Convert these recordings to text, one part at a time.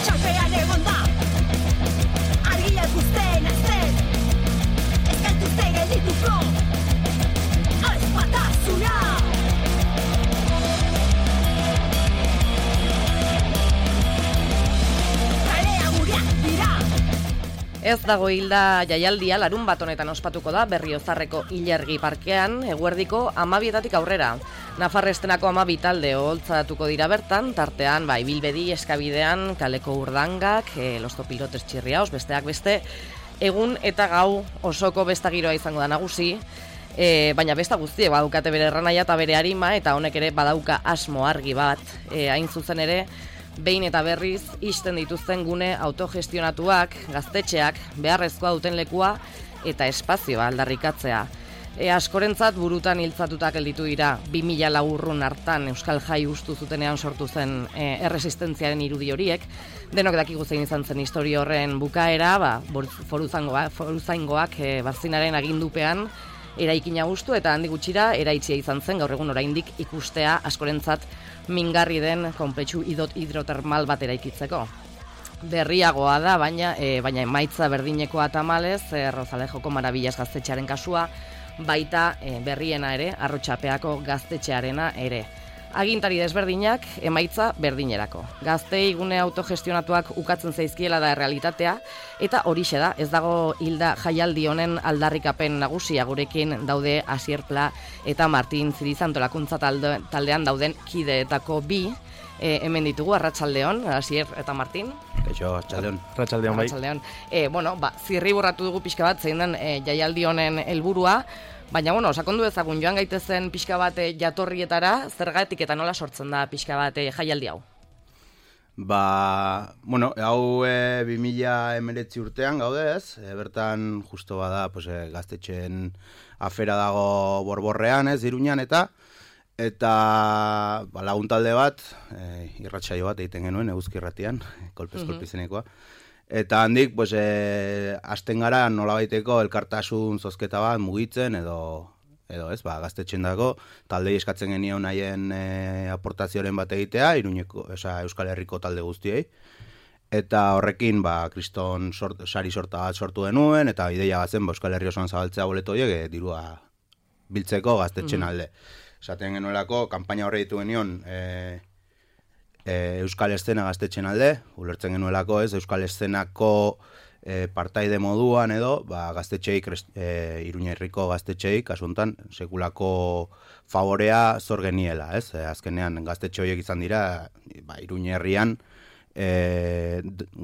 Txalpean egon da argia ikusten azten ez gaituzte geldituko ez batasuna. Kalea gureak dira. Ez dago hilda jaialdia larun bat honetan ospatuko da Berriozarreko Ilergi parkean eguerdiko 12:00 aurrera. Nafarrestenako 12 talde oholtzatuko dira bertan, tartean ibilbedi eskabidean kaleko urdangak, los topilotes txirriaos, besteak beste, egun eta gau osoko besta giroa izango da nagusi, baina besta guztiek badukate bere erranaia eta bere arima, eta honek ere badauka asmo argi bat, hain zuzen ere, behin eta berriz ixten dituzten gune autogestionatuak, gaztetxeak, beharrezkoa duten lekua eta espazioa aldarrikatzea. Askorentzat burutan hiltzatutak gelditu dira 2000 urrun hartan Euskal Jai ustu zutenean sortu zen erresistentziaren irudi horiek. Denok dakigu zein izan zen historia horren bukaera, foruzaingoak Barzinaren agindupean eraikina hustu eta handik gutxira eraitsia izan zen, gaur egun oraindik ikustea askorentzat mingarri den konpletxu hidrotermal bat eraikitzeko. Berriagoa da, baina emaitza berdinekoa tamalez, Rozalejoko Marabillas gaztetxearen kasua, baita berriena ere, Arrotxapeako gaztetxearena ere. Agintari desberdinak, emaitza berdinerako. Gaztei gune autogestionatuak ukatzen zaizkiela da errealitatea, eta horixe da, ez dago hilda jaialdi honen aldarrikapen nagusia gurekin daude Asier Pla eta Martin Zirizantolakuntza taldean dauden kideetako bi, hemen ditugu, arratsaldeon, Asier eta Martin. Kaixo, arratsaldeon. Arratsaldeon bai. Zirri burratu dugu pixka bat zein den jaialdi honen helburua, baina, sakondu ezagun joan gaitezen pixka bat jatorrietara, zergatik eta nola sortzen da pixka bat jaialdi hau? Hau 2019 urtean gaude ez, bertan justo bada gaztetxeen afera dago Borborrean ez, Iruñan eta lagun talde bat, irratsaio bat egiten genuen, eguzki irratian, kolpez-kolpizenekoa. Eta handik, hasten gara nolabaiteko elkartasun zozketa bat mugitzen edo ez, gaztetxen dago, taldei eskatzen genion haien aportazioaren bat egitea, Euskal Herriko talde guztiei. Eta horrekin, kriston sari sorta bat sortu denuen, eta ideia bazen Euskal Herri osoan zabaltzea boleto horiek dirua biltzeko gaztetxen alde. Esaten genuelako, kanpaina horre ditu genion Euskal Eszena gaztetxen alde, ulertzen genuelako ez, Euskal Eszenako partaide moduan edo, gaztetxeik, Iruña Herriko gaztetxeik, kasuntan, sekulako favorea zor geniela, ez? Azkenean gaztetxe horiek izan dira, Iruña Herrian,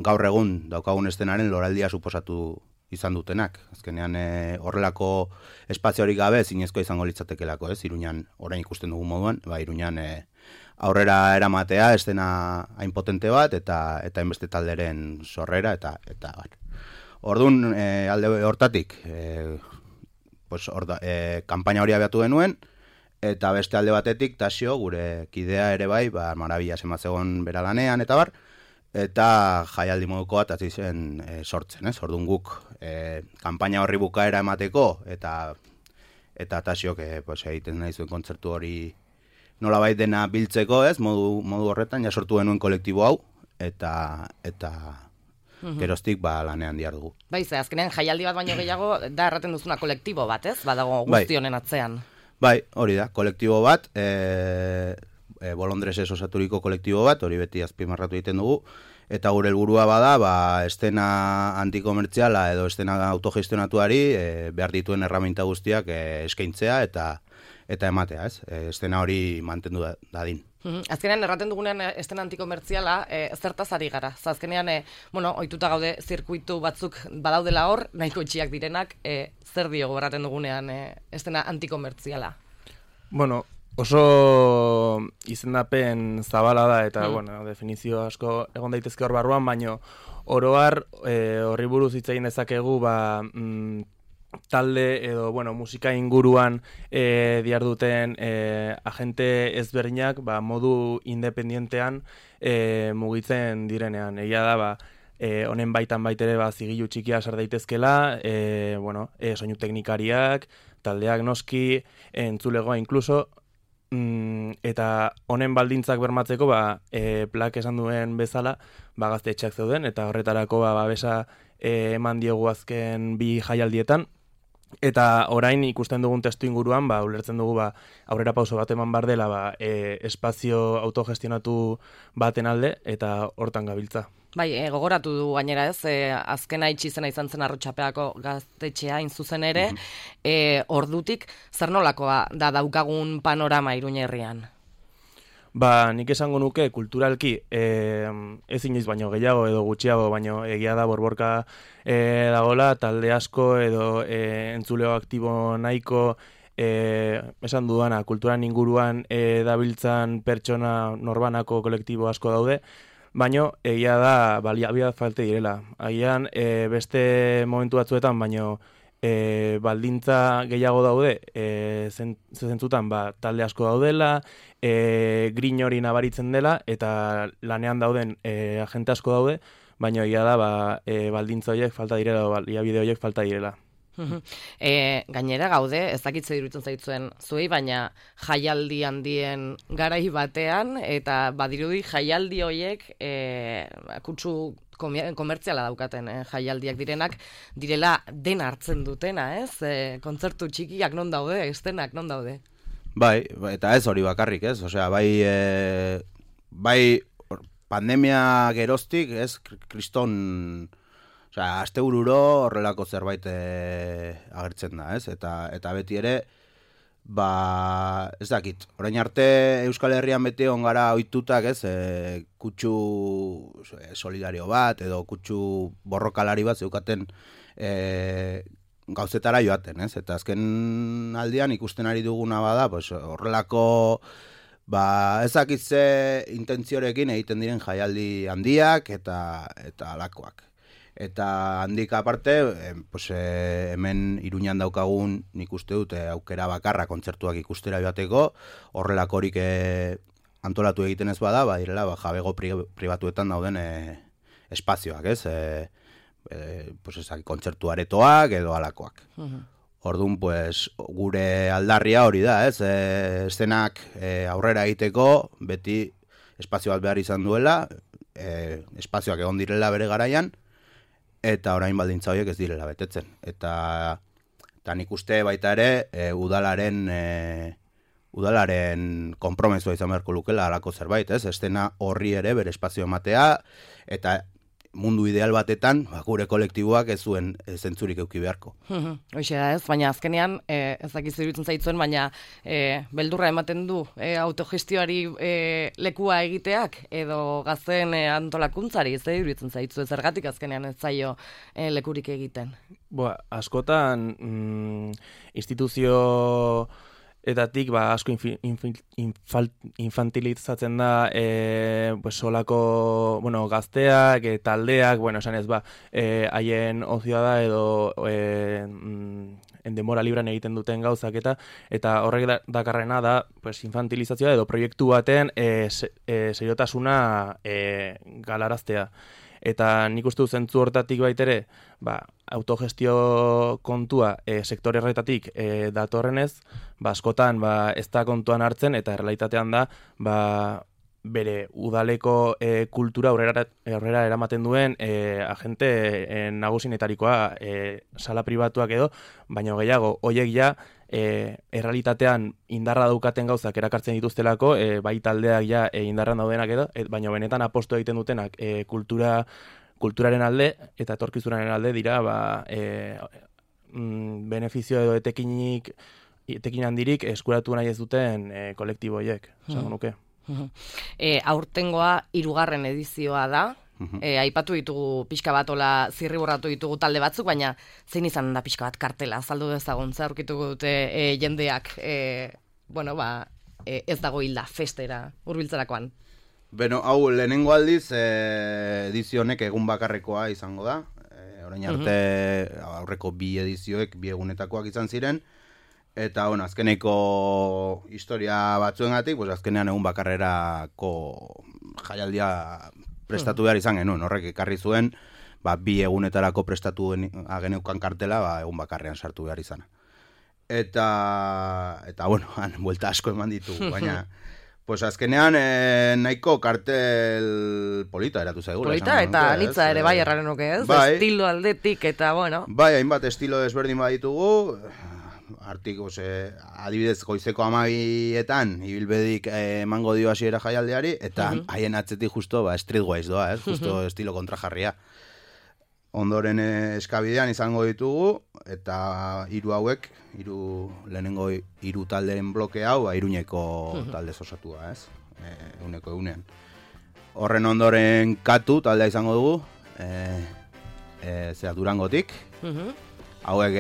gaur egun daukagun eszenaren loraldia suposatu izan dutenak. Azkenean horrelako espaziorik gabe zinezkoa izango litzatekelako, ez? Iruñan, orain ikusten dugun moduan, Iruñan aurrera eramatea, estena hain potente bat, eta enbeste talderen sorrera, eta bar. Orduan, alde hortatik, kanpaina hori abiatu genuen, eta beste alde batetik, Tasio, gure kidea ere bai, Marabillas ematzegon bera lanean, eta bar, eta jaialdi moduko bat hasi zen sortzen, ez? Orduan guk, kanpaina horri bukaera emateko, eta Tasiok egiten nahi zuen kontzertu hori nolabait dena biltzeko, ez, modu horretan, ja sortu genuen kolektibo hau, eta geroztik lanean diardugu. Azkenean jaialdi bat baino gehiago, da erraten duzuna kolektibo bat, ez? Badago guzti honen atzean. Hori da, kolektibo bat, Bolondresez osaturiko kolektibo bat, hori beti azpimarratu egiten dugu, eta gure helburua bada, estena antikomertziala edo estena autogestionatuari behar dituen erraminta guztiak eskaintzea eta ematea, ez? Estena hori mantendu dadin. Azkenean erraten dugunean estena antikomertziala zertaz ari gara. Azkenean, ohituta gaude zirkuitu batzuk badaudela hor, nahiko itxiak direnak, zer diogo erraten dugunean estena antikomertziala? Oso izendapen zabala da eta, definizio asko egon daitezke hor barruan, baino oroar horri buruz hitz egin dezakegu, talde edo, musika inguruan diarduten agente ezberdinak modu independientean mugitzen direnean. Egia da, honen baitan baitere zigilu txikia sar daitezkela, soinu teknikariak, taldeak noski, entzulegoa inkluso, eta honen baldintzak bermatzeko Plak esan duen bezala gaztetxeak zeuden eta horretarako babesa eman diogu azken 2 jaialdietan. Eta orain ikusten dugun testu inguruan, ulertzen dugu aurrera pauso bat eman bar dela espazio autogestionatu baten alde eta hortan gabiltza. Bai, gogoratu du gainera ez, azkena itxizena izan zen Arrotxapeako gaztetxea zuzen ere, ordutik zer nolakoa da daukagun panorama Iruña herrian? Nik esango nuke kulturalki ez inoiz baino gehiago edo gutxiago, baino egia da borborka dagola, talde asko edo entzuleo aktibo nahiko esan dudana, kulturan inguruan dabiltzan pertsona norbanako kolektibo asko daude, baino egia da baliabide falta direla. Agian beste momentu batzuetan baino baldintza gehiago daude, zentzutan talde asko daudela, grin hori nabaritzen dela, eta lanean dauden agente asko daude, baina egia da baldintza horiek falta direla, baliabide horiek falta direla. Gainera gaude, ez dakitze iruditzen zaitzuen zuei, baina jaialdi handien garai batean, eta badirudi jaialdi horiek kutsu komertziala daukaten jaialdiak direnak, direla dena hartzen dutena, ez? Kontzertu txikiak non daude, estenak non daude? Bai, eta ez hori bakarrik, ez? Osea, bai pandemia geroztik, ez? Kriston, osea, astebururo horrelako zerbait agertzen da, ez? Eta beti ere, ez dakit, orain arte Euskal Herrian beti ongara ohitutak, ez, kutsu solidario bat, edo kutsu borrokalari bat zeukaten gauzetara joaten, ez, eta azken aldian ikusten ari duguna bada, horrelako, ez dakit ze intentziorekin egiten diren jaialdi handiak eta alakoak. Eta handik aparte, hemen Iruñan daukagun nik uste dut aukera bakarra kontzertuak ikustera joateko, horrelakorik antolatu egiten ez bada, direla jabego pribatuetan dauden espazioak, ez? Kontzertu aretoak edo alakoak. Orduan, gure aldarria hori da, ez? Eszenak aurrera egiteko, beti espazio bat behar izan duela, espazioak egon direla bere garaian, eta orain baldintza horiek ez direla betetzen. Eta nik uste baita ere udalaren konpromesua izan beharko lukela halako zerbait, ez? Estena horri ere bere espazio ematea, eta mundu ideal batetan gure kolektiboak ez zuen zentzurik eduki beharko. Hoxe da ez, baina azkenean, ez dakizu iruditzen zaitzuen, baina beldurra ematen du autogestioari lekua egiteak, edo gazten antolakuntzari, ez iruditzen zaitzu, zergatik azkenean ez zaio lekurik egiten. Askotan instituzio etatik asko infantilizatzen da solako gazteak, taldeak, esan ez haien ozioa da edo denbora libran egiten duten gauzak eta horrek dakarrena da infantilizazioa edo proiektu baten seriotasuna galaraztea. Eta nik uste dut zentzu hortatik baitere, autogestio kontua sektore horretatik datorrenez, askotan ez da kontuan hartzen eta errealitatean da bere udaleko kultura aurrera eramaten duen agente nagusinetarikoa sala pribatuak edo, baina gehiago, hoiek ja errealitatean indarra daukaten gauzak erakartzen dituztelako, bai taldeak ja indarran daudenak edo, baina benetan apostu egiten dutenak kulturaren alde eta etorkizunaren alde dira benefizio edo etekin handirik eskuratu nahi ez duten kolektibo horiek, esango nuke. Aurtengoa 3. edizioa da. Aipatu ditugu pixka bat ola zirriborratu ditugu talde batzuk, baina zein izan da pixka bat kartela, azaldu dezagun, aurkituko dute jendeak ez dago hilda festera hurbiltzerakoan. Hau lehenengo aldiz edizio honek egun bakarrekoa izango da. Orain arte aurreko 2 edizioek 2 egunetakoak izan ziren. Eta, azkeneko historia batzuengatik, azkenean egun bakarrerako jaialdia prestatu behar izan genuen. Horrek ekarri zuen, 2 egunetarako prestatu geneukan kartela, egun bakarrean sartu behar izana. eta bueno, han buelta asko eman ditugu, baina pues azkenean nahiko kartel polita eratu zaigula. Polita eta anitza ere bai erraren nuke, ez? Bai. Estilo aldetik eta, bueno. Bai, hainbat estilo desberdin baditugu, artik, adibidez, goizeko 12etan ibilbedik emango dio hasiera jaialdeari, eta haien atzetik justo streetwise doa, ez? Justo estilo kontrajarria. Ondoren eskabidean izango ditugu, eta lehenengo hiru taldeen bloke hau, Iruñeko talde osatua, ez? Euneko eunean. Horren ondoren Katu taldea izango dugu, Durangotik. Hauek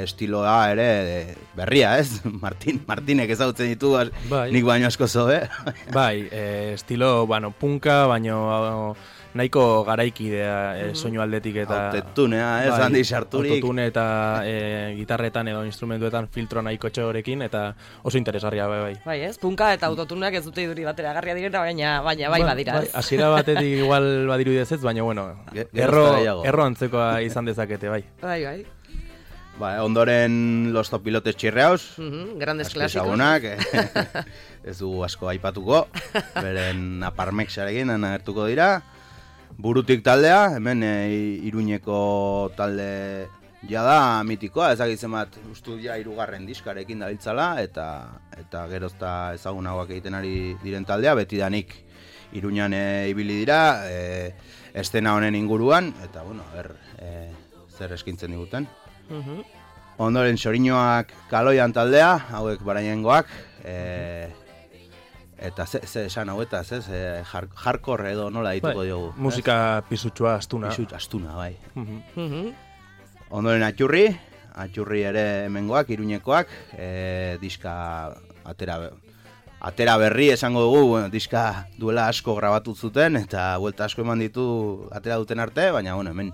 estiloa ere berria, ez? Martinek ezagutzen ditu, nik baino asko zobe. Bai, estilo, punka, baino nahiko garaikidea soinu aldetik eta... Autotunea, ez, handi sarturik. Autotune eta gitarretan edo instrumentuetan filtro nahiko txorekin, eta oso interesgarria, bai. Bai, ez, punka eta autotuneak ez dute iduri batera garria direna, baina bai badira, ez. Hasiera batetik igual badiru ez, baina, bueno, erro antzekoa izan dezakete, bai. Bai. Ondoren Los Zopilotes Chirreaus, grandes clásicos. Ezagunak, ez dugu asko aipatuko, beren Aparmexarekin agertuko dira. Burutik taldea, hemen Iruñeko talde jada mitikoa, ezagitzen bat ustu ja 3. diskarekin dabiltzala, eta gerozta ezagunagoak egiten ari diren taldea, betidanik Iruñan ibili dira, estena honen inguruan, eta bueno, zer eskintzen diguten. Ondoren Xoriñoak Kaloian taldea, hauek barainengoak, eta ze esan hauetaz, ez? Hardcore edo nola dituko diogu. Musika pisutxua, astuna. Astuna, bai. Ondoren Atxurri ere hemengoak, Iruñekoak, diska atera berri esango dugu, diska duela asko grabatu zuten, eta buelta asko eman ditu atera duten arte, baina bueno, hemen